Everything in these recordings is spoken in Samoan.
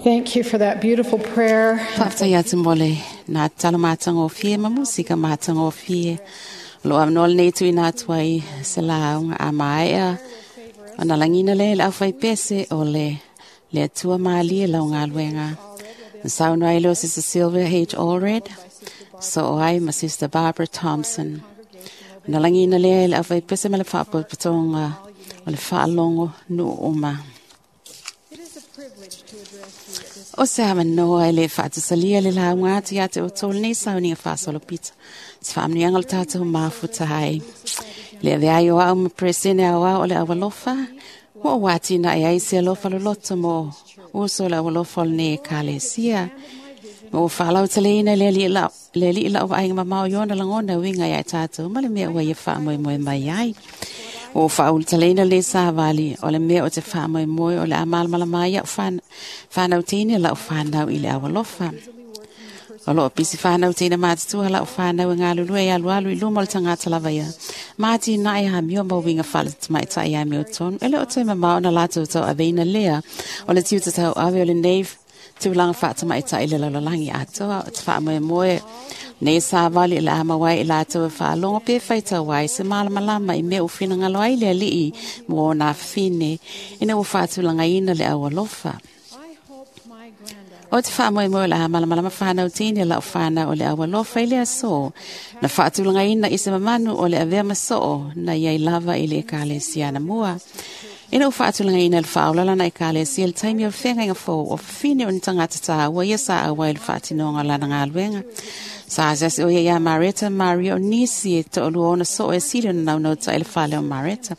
Thank you for that beautiful prayer. Faafetai atu mo le na talo matagofie ma musika matagofie. O loo avanoa lenei tuuina atu ai se lauga a maea ona lagina lea i le aufaipese o le le Atua malie lau galuega. Na saunoa ai lea o Sister Sylvia H. Allred, soo ai ma Sister Barbara Thompson. Ona lagina lea i le aufaipese ma le faapotopotoga o le faalogo nuu uma. O se avanoa e le faatusalia le lauga atu ia te outou lenei sauniga faasolopito. Se faamanuiaga o le tatou mafuta ai. Le avea ai o au ma Peresene Aoao o le Aualofa, ua ou atinae ai se alofa loloto mo uso o le aualofa o lenei Ekalesia. Ma ua faalauteleina le alii lau vaaiga mamao i ona lagona e uiga ia i tatou ma le mea ua ia faamoemoe mai ai. Ua ou faaulutaleina lenei savali o le mea o te faamoemoe o le a malamalama ai au fanau teine lau fanau i le aualofa. O loo pisi fanau teine matutua lau fanau e galulue e alualu i luma o le tagata lava ia. Ma atinae amio ma uiga faale-tamaitai amiotonu. E le o toe mamao ona latou tauaveina lea o le tiute tauave o lenei tulaga faatamaitai i le lalolagi atoa. O te faamoemoe nei savali o le a maua ai i latou e faalogo pe faitau ai se malamalama i mea ua finagalo ai le alii mo ona afafine ina ua faatulagaina le aualofa. O te faamoemoe o le a malamalama fanau teine lau fanau o le aualofa i le aso na faatulagaina i se mamanu o le avea ma soo na iai lava i le Ekalesia anamua. Ina ua faatulagaina le faaola lana Ekalesia i le taimi o le feagaiga fou o fafine o ni tagata taua ia sa auai i le faatinoga o lana galuega. Sa asiasi o ia iā Mareta ma Maria o nisi e toalua ona soo e sili ona naunautai i le fale o Mareta.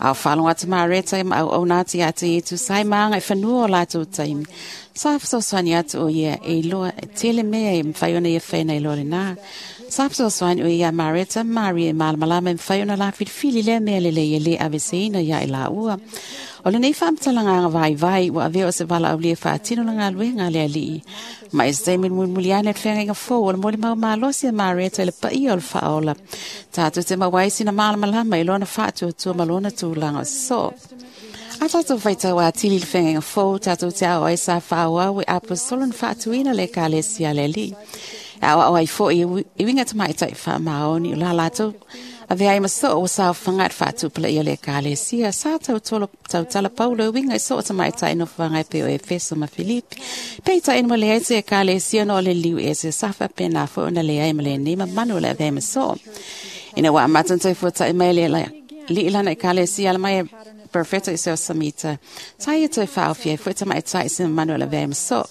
A o faalogo atu Mareta ma auauna atu ia te Iesu sa i ma agaifanua o latou taimi. Sa fesoasoani atu o ia e iloa e tele mea e mafai ona ia faina i loa lena. Sa fesoasoani o ia iā Mareta ma Maria e malamalama e mafai ona la filifili lea mea lelei e lē aveseina ia i laua. O lenei faamatalaga vaivai ua avea o se valaaulia e faatino le galuega a le alii. Ma i se taimi mulimuli ane le feagaiga fou o le molimau malosi a Mareta i le paia o le faaola. Tatou te maua ai sina malamalama i lona faatuatua ma lona tulaga o se soo. A tatou faitau atili i le feagaiga fou, tatou te ao ai sa faaauau e aposetolo na faatuina le Ekalesia a le Alii. E aoao ai foi i uiga tamaitai faamaoni o la latou avea ai ma soo ua saofaga i le faatupulaia o le Ekalesia. Sa tautolo tautala Paulo e uiga i soo tamaitai nofoaga e pei o Efeso ma Filipi. Peitai ina ua leai se Ekalesia ona o le liu ese, sa faapena foi ona leai ma lenei mamanu o le avea ai ma soo. Ina ua amata ona toe fuatai mai le alii lana Ekalesia ala mai e Perofeta Isao Samita, sa ia toe faaofi ai foi tamaitai i se mamanu o le avea ai ma soo.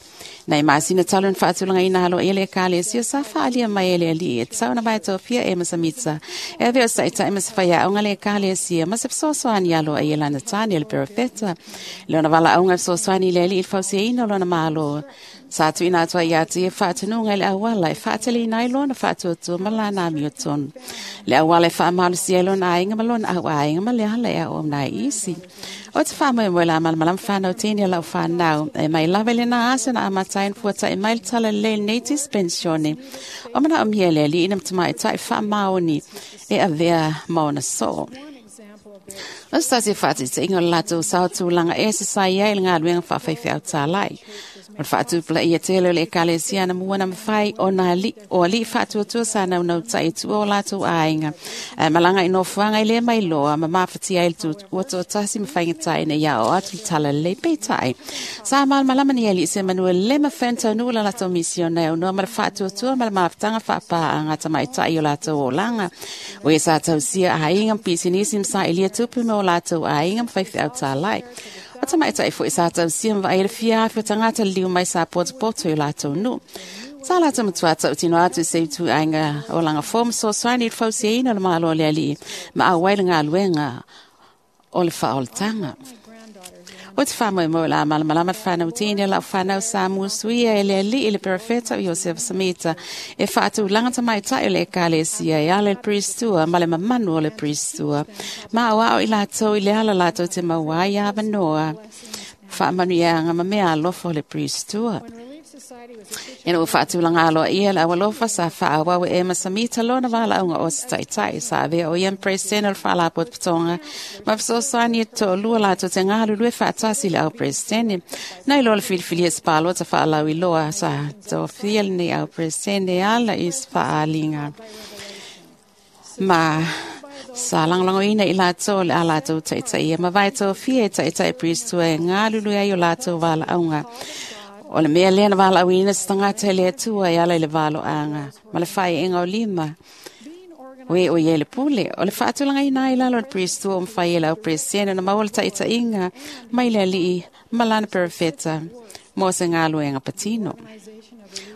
Nai masina talu na faatulagaina aloaia le Ekalesia sa faaalia mai e le alii e tatau ona vaetofia e ma Samita e avea o se taitai ma se faiaoga le Ekalesia ma se fesoasoani aloaia lana tāne o le perofeta. I lona valaauga e fesoasoani i le alii i le fausiaina o lona Malo, sa tuuina atu ai ia te ia faatonuga i le auala e faateleina ai lona faatuatua ma lana amiotonu, le auala e faamalosia ai lona aiga ma lona auaiga ma le ala e auauna ai isi. O te faamoemoe la malamalama fanau teine o lau fanau e mai lava i lena aso na amata ai ona fuata'i mai le tala lelei lenei dispensione o manaomia e le alii ina tamaitai faamaoni e avea ma ona soo. O se tasi o faataitaiga o le latou sao tulaga ese sa i ai i le galuega faafaifeau tālai. O le faatupulaia tele o le Ekalesia anamua na mafai ona o alii faatuatua sa naunautai i tua o latou aiga ae malaga i nofoaga e le mailoa ma mafatia ai le ua toatasi ma faigata ina ia aoao atu le tala lelei. Peitai, sa malamalama ni alii se manu e le mafai ona taunuu la latou misiona e aunoa ma le faatuatua ma le mafutaga faapaaga a tamaitai i o latou olaga. O ia sa tausia aiga ma pisinisi ma sailia tupe mo latou aiga ma faifeau tālai. O tamaitai foi sa tausia ma vaai le fia afe o tagata liliu mai sa potopoto i o latou nuu. Sa latou matua tautino atu i se ituaiga olaga fou ma fesoasoani i le fausiaina o le Malo o le Alii ma auai le galuega o le faaolataga. O te faamoemoe o le a malamalama le fanau teine o lau fanau sa musuia e le alii le perofeta o Iosefa Samita e faatulaga tamaitai o le Ekalesia e ala i le Pristua ma le mamanu o le Pristua. Ma aoao i latou i le ala latou te maua ai avanoa, faamanuiaga ma meaalofa o le Pristua. Ina ua faatulaga aloaia le aualofa sa faaauau e Ema Samita lona valaauga o se taitai sa avea o ia ma Peresetene o le Faalapotopotoga ma fesoasoani e toalua latou te galulue faatasi i le au Peresetene. Na iloa le filifilia se palota faalauiloa sa tofia lenei au Peresetene e ala i se faaaliga ma sa lagolagoina i latou le a latou taitaia ma vae tofia e taitai Priest e galulue ai o latou valaauga. O le mea lea na valaauina se tagata e le Atua e ala i le valoaga ma le faaiega o lima. O e o ia le pule, o le faatulagaina ai lalo o le Priest o mawhai e lau Peresetene na maua le taitaiga mai le alii ma lana perefeta mo se galuega patino.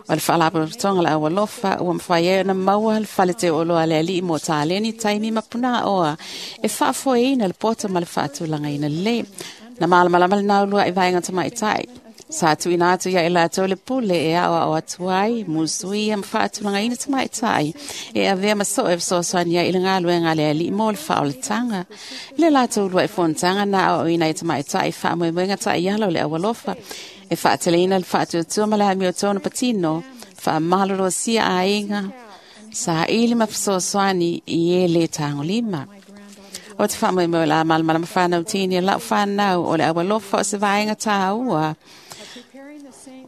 O le faalapotopotoga le aualofa ua mafai ai ona maua le fale teuoloa le alii mo taleni taimi ma punaoa e faafoeina le poto ma le faatulagaina lelei. Na malamalama le naulua i vaega tamaitai. Sa tuuina atu ia i latou le pule e aoao atu ai, musuia ma faatulagaina tamaitai e avea ma soo e fesoasoani ai i le galuega a le alii mo le faaolataga. I le latou lua i fonotaga na aoaoina ai tamaitai faamoemoega taiala o le aualofa e faateleina le faatuatua ma le amiotonu patino, faamalolosia aiga, saili ma fesoasoani i e le tagolima. O te faamoemoe la malamalama whanau tini lau whanau o le aualofa o se vaega tāua.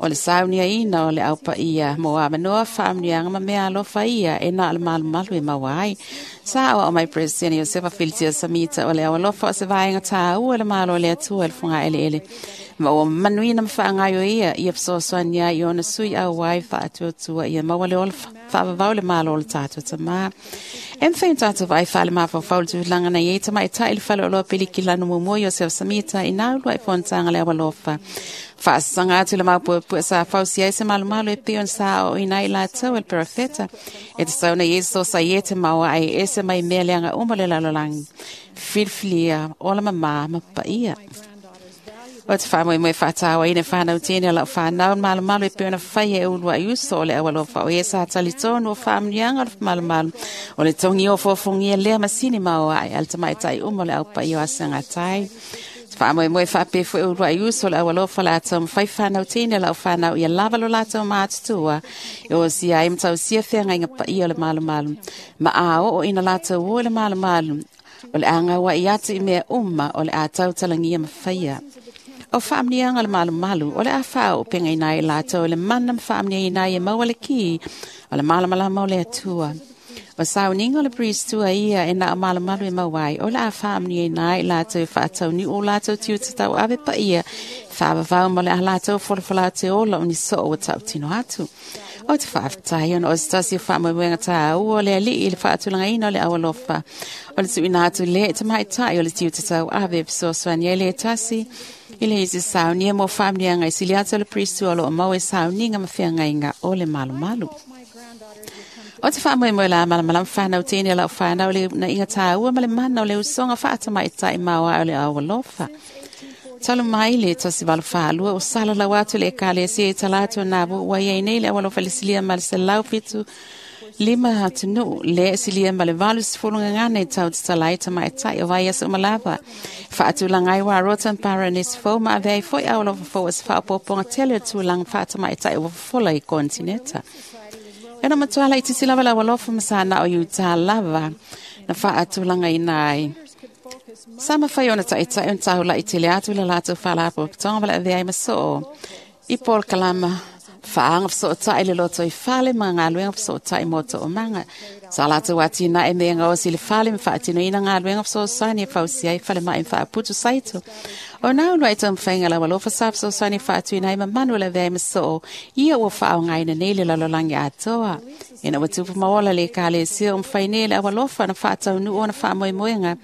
O le sauniaina o le aupaia mo amanoa whaamnianga ma mea alofa ia e nā le malumalu e maua ai. Sa awa o mai Presidente Iosefa Filitia Samita o le aualofa o se vaega tāua le malo le atua le funga ele ele. Ma o manuina ma whaangaio ia ia fesoasoani ai i ona sui au ai whaatuatua ia maua le ola whaavavau le malo o le tātou tamā. E mwhai tātou vai whale mawhawhau le tūlanga na iei tamaitai le whale o loa piliki lanu mumu Iosefa Samita i nā ulua i fonotaga le aualofa. Faasanga atu le maupuepue sa fausi ai se malumalu e pei ona sa o ina i latou e le perofeta. E te sauna Iesu sa ie te maua ai ese mai mea leaga uma le lalolagi. Filifilia, ola mamā ma paia. O te whāmoe whātāwa ina whānau tēne lau whānau malumalu e pei ona whai e ulua i uso o le aualofa o ia sa talitonu o whaamunianga o le malumalu. O le tongi o fōfongia lea masini maua ai al tamaitai uma o le au paia o asangatai. Whaamoemoe whaapefu e urua i uso le aualofa le atau mwhai whanau tēne lau whanau ia lava lo lātou mātutua. E o sia ai matau sia whenga inga paia o le malumalu. Ma a o ina lātou o le malumalu. O le anga i atu i mea uma o le atau talangia mawhaia. O whaamnianga le malumalu o le a whao o penga inai lātou le mana mwhaamnia inai e maua le ki o le malamalama o le atua. O sauninga o le priest tua ia e nā o malumalu e mauai o le a whaamnia inai lātou e whaatau ni o lātou tiu te tau ave pa ia whaavavau mo le a lātou wholawhala te ola o ni soo o tau tino atu. O te whaaftai ona o se tasi o whaamoemoega tāua o le alii i le whaatulagaina o le aualofa. O le tuuina atu le te maitai o le tiu te tau ave fesoasoani ai le tasi i le isi saunia mo whaamnianga i sili atu o le priest tua o loo mau e sauninga ma whiangaiga o le malumalu. O te whaamoemoe la malamalama whanau tēne lau whanau le na inga tāua ma le mana o le usonga whaatamaitai maua o le aualofa. Talu mai le tasi valu whaalua o sala lau atu le ekalesia i tala atu nā ua iai nei le aualofa le silia ma le 175 atunuu le silia ma le 80 gagana i tau te talai tamaitai o vai aso malava. Faatulaga ai wa rotan paranis fou ma avea ai foi aualofa fou o se faaopoopoga tele o tulaga faatamaitai ua fofola i kontineta. E na matuala i tisi lava lau alofa ma sa na o Utah lava na whaatulanga ina ai. Sa mawhai ona taitai on tāhula i tele atu le lātou whalapotopotoga ma le avea ai masoo. I Paul Kalama whaanga whasootai le loto i whale ma ngā luenga whasootai mō tō manga. Sa lātou atina e mea ngā osi le whale ma whaatino ina ngā luenga whasoosaini e whausi ai whale mai whaaputu saito. O nā ulua i tō lau alofa sa whasoosaini whaatuina ai mamanu le avea ai masoo. Ia ua whaongaina nei le lalolagi atoa. Ina ua tupu maola le ekalesia o mwhai nei le aualofa na whaataunu o na whaamoemoenga.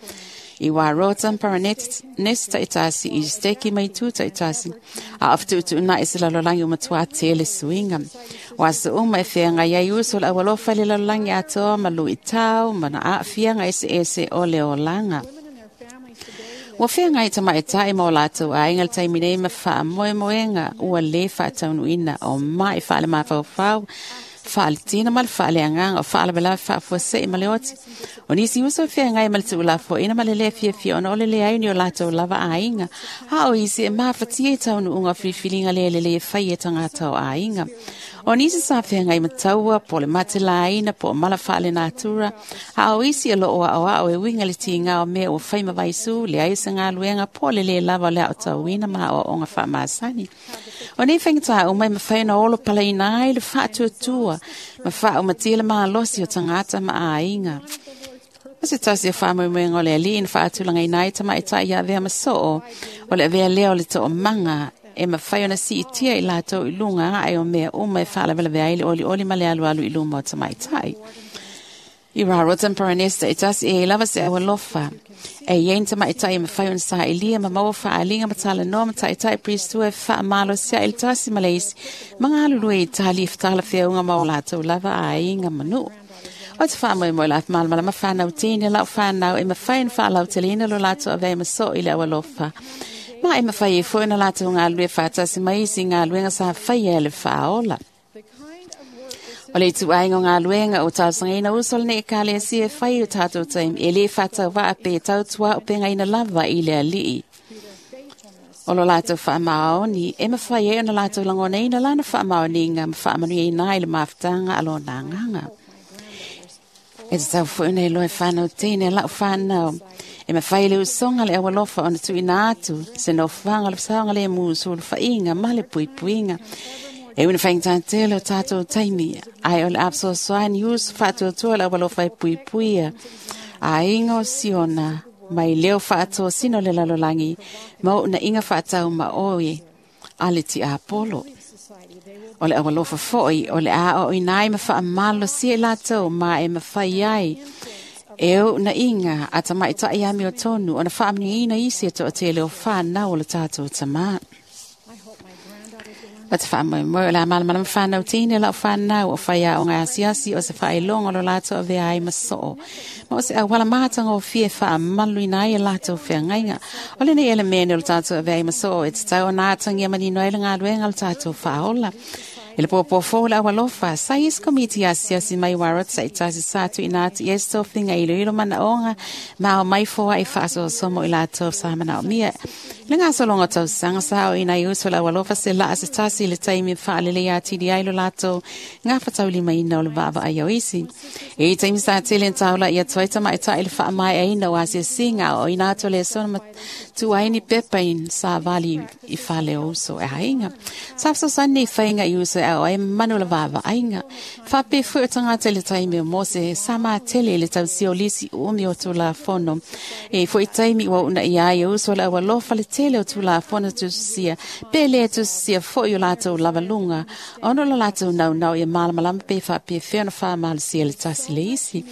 I wā rotan paranesi taitasi, i steki mai tū taitasi. A awhatutu na i se lalolagi o matua tele suinga. Wā se uma e whenga iai uso le aualofa le lalolagi atoa ma lui tau, ma na aafianga ese ese o le olanga. Ua whenga i tamaitai ma o lātou aiga le taimi nei ma whaamoemoenga ua le whaataunuina o mai whaale mafaufau. Faaletina ma le faaleagaga o faalavelave faafuasei ma le oti. O nisi uso e feagai ma le tuulafoaiina ma le lē fiafia ona o le leai o ni o latou lava aiga. A o isi e mafatia i taunuuga o filifiliga le lelei e fai e tagata o aiga. O nisi sa feagai ma taua po o le matelaina po o mala faalenatura, a o isi e loo aoao e uiga le tiga o mea ua fai ma vaisu, leai se galuega po o le lē lava o le aotauina ma aoaoga faamasani. O nei faigata uma e mafai ona olo palaina ai le faatuatua ma faaumatia le malosi o tagata ma aiga. O se tasi o faamoemoega o le Alii na faatulagaina ai tamaitai ia avea ma soo, o le avea lea o le toomaga e mafai ona siitia i latou i luga ae o mea uma e faalavelave ai le olioli ma le alualu i luma o tamaitai. I Raroton Polynesia e tasi e lava se aualofa. E iai ni tamaitai e mafai ona sailiga ma maua faaalia ma talanoa ma taitai Priestua e faamalosia i le tasi ma le isi ma galulue i tali e talafeauga ma o latou lava aiga ma nuu. O te faamoemoe la malamalama whānau tini lau whānau e mawhai na whaalauteleina lo latou avea ma soo i le aualofa. Ma e mawhai e foi na latou galulue faatasi mai isi galuega sa faia e le faaola. O le ituaiga o galuega o talosagaina uso o lenei ekalesia e fai o tatou taimi e lē faatauvaa pe tautuaupegaina lava i le Alii. O lo latou faamaoni e mafai ai ona latou lagonaina lana faamaoniga ma faamanuiaina ai le mafutaga a lona agaga. E tatau foi ona iloa e whānau teine lau whānau. E mawhai le usoga le aualofa ona tuuina atu se nofoaga le fesaoga le mu sulufaiga ma le puipuiga. E una faigata tele o tatou taimi, ae o le a fesoasoani uso faatuatua le aualofa e puipuia. Aiga o Siona, mai leo faatosina o le lalolagi, ma uunaina faatau ma oe a le tiapolo. O le aualofa foi o le a aoaoina ai ma faamalosia i latou ma e mafai ai e uunaina a tamaitai amiotonu ona faamanuiaina isi e toatele o whānau o le tatou tamā. O te faamoemoe o le a malamalama whānau tini lau whānau o whaiaoga asiasi o se whaailoga o lo latou avea ai ma soo. Ma o se auala matagofie e faamaluina ai e latou feagaiga. O lenei elemene o le tatou avea ai ma soo e tatau ona atagia manino ai le galuega o le tatou faaola. E le pōpō le aualofa, sa i isi komiti asiasi mai Warot sa i tasi sa tuuina atu i ai se tofiga i iloilo manaoga ma ao mai foai faasoasoa mo i latou sa manaomia. I le gasologa o tausaga sa aoina ai uso le aualofa se laa se tasi i le taimi e faalelei atili ai lo latou gafataulimaina o le vaavaai o isi. E i taimi sa tele na taula'i atu ai tamaitai i le faamaeaina o asiasiga aoaoina atu o le aso na matua ai ni pepa i savali i fale o uso e aiga. Sa fesoasoani nei faiga i uso e ao ai manu le vaavaaiga. Faapea foi o tagata i le taimi o Mose sa matele i le tausia o lisi umi o Tulafono. E foi taimi ua uunaia ai e uso le aualofa le tele o Tulafono tusisia pe lē tusisia foi o latou lavaluga ona o lo latou naunau ia malamalama pe faapefea ona faamalosia le tasi le isi.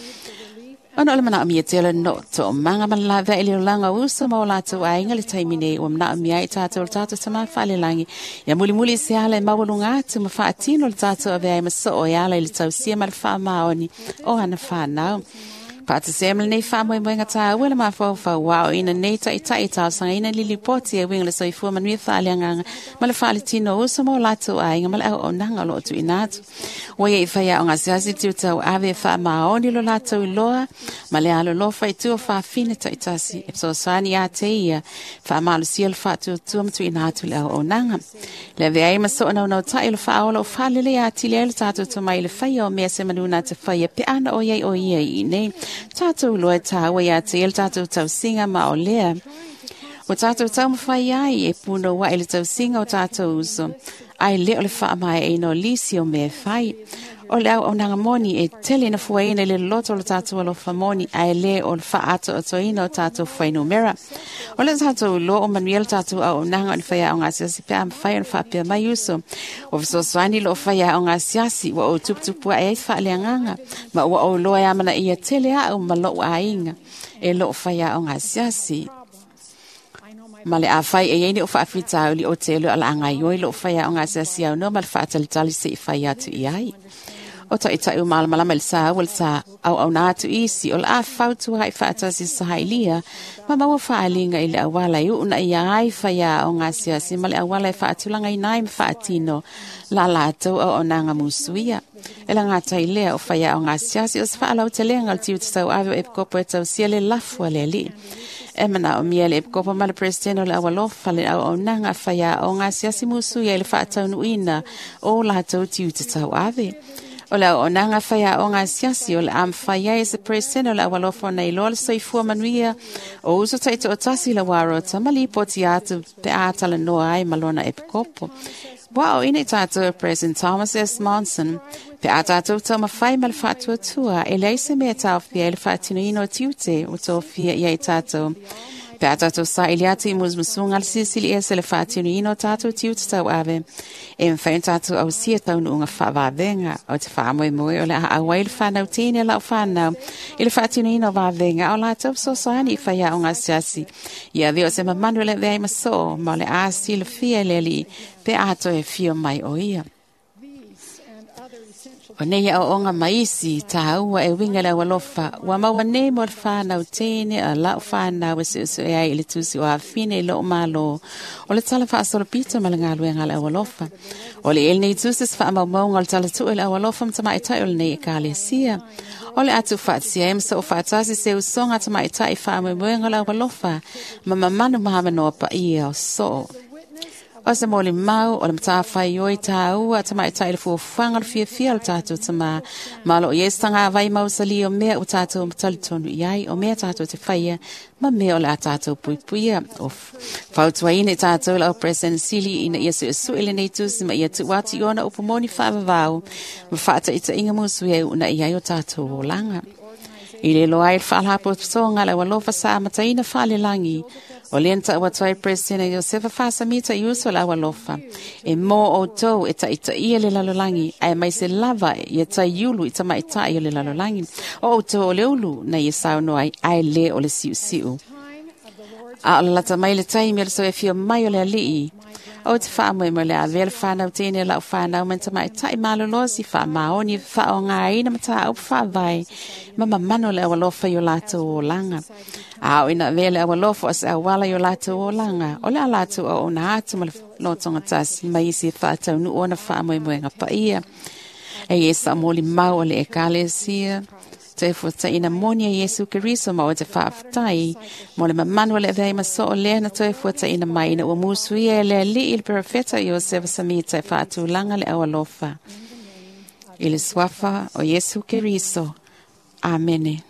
Ona o le manaomia tele no toomaga ma le laveai le olaga o uso ma o latou aiga le taimi nei ua manaomia ai tatou le tatou tamā faalelagi. Ia mulimuli i se ala e maualuga atu ma faatino le tatou avea ai ma soo e ala i le tausia ma le faamaoni o ana whānau. Faatasia ma lenei faamoemoega tāua le mafaufau aoaoina nei taitai e talosagaina le lipoti e uiga le soifua manuia faaleagaga ma le faaletino o uso ma o latou aiga ma le auaunaga o loo tuuina atu. Ua ia i faiaoga asiasi le tiutauave e faamaoni lo latou iloa ma le alolofa i tua faafine taitasi e fesoasoani ia te ia faamalosia le faatuatua ma tuuina atu le auaunaga. Le avea ai ma soo naunautai o le faaola o faalelei atili ai le tatou tomai i le faia o mea se manu na te faia pe ana o iai o ia i nei. Tatou loa e tāua ia te ia le tatou tausiga ma o lea. O tatou taumafai ai e punouai le tausiga o tatou uso. Ai le o le faamaeaina o lisi o mea e fai. O le auaunaga moni e tele na fuaina i le loloto o le tatou alofa moni ae lē o le faaatoatoina o tatou fuainumera. O le tatou iloa o manuia le tatou auaunaga o ni faiaoga asiasi pe a mafai ona faapea mai uso. Ua fesoasoani loo faiaoga asiasi ua ou tuputupu ae ai faaleagaga ma ua ou iloa e amanaia tele au ma lou aiga e loo faiaoga asiasi. Ma le afai e iai ni o faafitauli o te iloa o le a gaioi loo faiaoga asiasi aunoa ma le faatalitali se'i fai atu i ai. O taʻitaʻi o malamalama i le saua le sa auauna atu isi o le a fautua ai faatasi sahailia ma maua faaliga i le auala e uuna ia ai faiaoga asiasi ma le auala e faatulagaina ai ma faatino la latou auaunaga musuia. E lagata i lea o faiaoga asiasi o se faalautelega o le tiute tauave o epikopo e tausia le lafu a le Alii. E manaomia le epikopo ma le Peresetene o le Aualofa le auaunaga a faiaoga asiasi musuia i le faataunuuina o latou tiute tauave. O le auaunaga faiaoga asiasi o le a mafai ai e se Peresetene o le Aualofa ona iloa le soifua manuia o uso taitoatasi i le uarota ma lipoti atu pe a talanoa ai ma lona epikopo. Ua aoaoina i tatou e President Thomas S. Monson, pe a tatou taumafai ma le faatuatua, e leai se mea e taofia ai le faatinoina o tiute ua tofia i ai tatou. Pe a tatou saili atu i musumusuga a le Silisili Ese le faatinoina o tatou tiute tauave, e mafai ona tatou ausia taunuuga faavavega. O te faamoemoe o le a auai le fanau teine a lau fanau i le faatinoina o vavega a o latou fesoasoani i faiaoga asiasi. Ia avea o se mamanu e le avea ai ma soo, ma o le a silafia e le Alii pe a toe afio mai o ia. O nei aoaoga ma isi tāua e uiga i le aualofa, ua maua nei mo le fanau teine a lau fanau e suesue ai i le tusi o afine i lou malo, o le tala faasolopito ma le galuega a le aualofa. O le ele nei tusi se faamaumauga o le tala tuu i le aualofa ma tamaitai o lenei ekalesia. O le a tuufaatasia ai ma soo faatasi se usoga tamaitai faamoemoega o le aualofa ma mamanu ma avanoa paia o soo. O se molimau o le matafaioi tāua tamaitai i le fuafuaga o le fiafia o le tatou Tamā. Ma o loo i ai se tagavai mausali o mea ua tatou talitonu i ai, o mea tatou te faia, ma mea o le a tatou puipuia. O fautuaina i tatou e lau President Sili ina ia suesue lenei tusi ma ia tuu atu i ona upu moni faavavau ma faataitaiga musuia e uunai ai o tatou olaga. I le iloa ai le faalapotopotoga a le aualofa sa amataina faalelagi, o lea na tau atu ai Peresetene Iosefa Faasamita i uso o le aualofa, e mō outou e taitaia le lalolagi, aemaise lava ia taiulu i tamaitai o le lalolagi. O outou o le ulu na ia saunoa ai, ae le o le siusiu. A o le lata mai le taimi o le soifia mai o le Alii, o te faamoemoe le avea le fanau teine o lau fanau ma ni tamaitai malolosi faamaoni e faaaogaina mataupu faavae ma mamanu o le aualofa i o latou olaga. A oo ina avea le aualofa o se auala i o latou olaga, o le a latou auauna atu ma le lotogatasi ma isi e faataunuu ona faamoemoega paia. E ia sa molimau o le ekalesia, toe fuataina moni a Iesu Keriso ma o te faafetai mo le mamanu o le avea ai ma soo lea na toe fuataina mai ina ua musuia e le Alii le perofeta Iosefa Samita e faatulaga le aualofa. I le suafa o Iesu Keriso. Amene.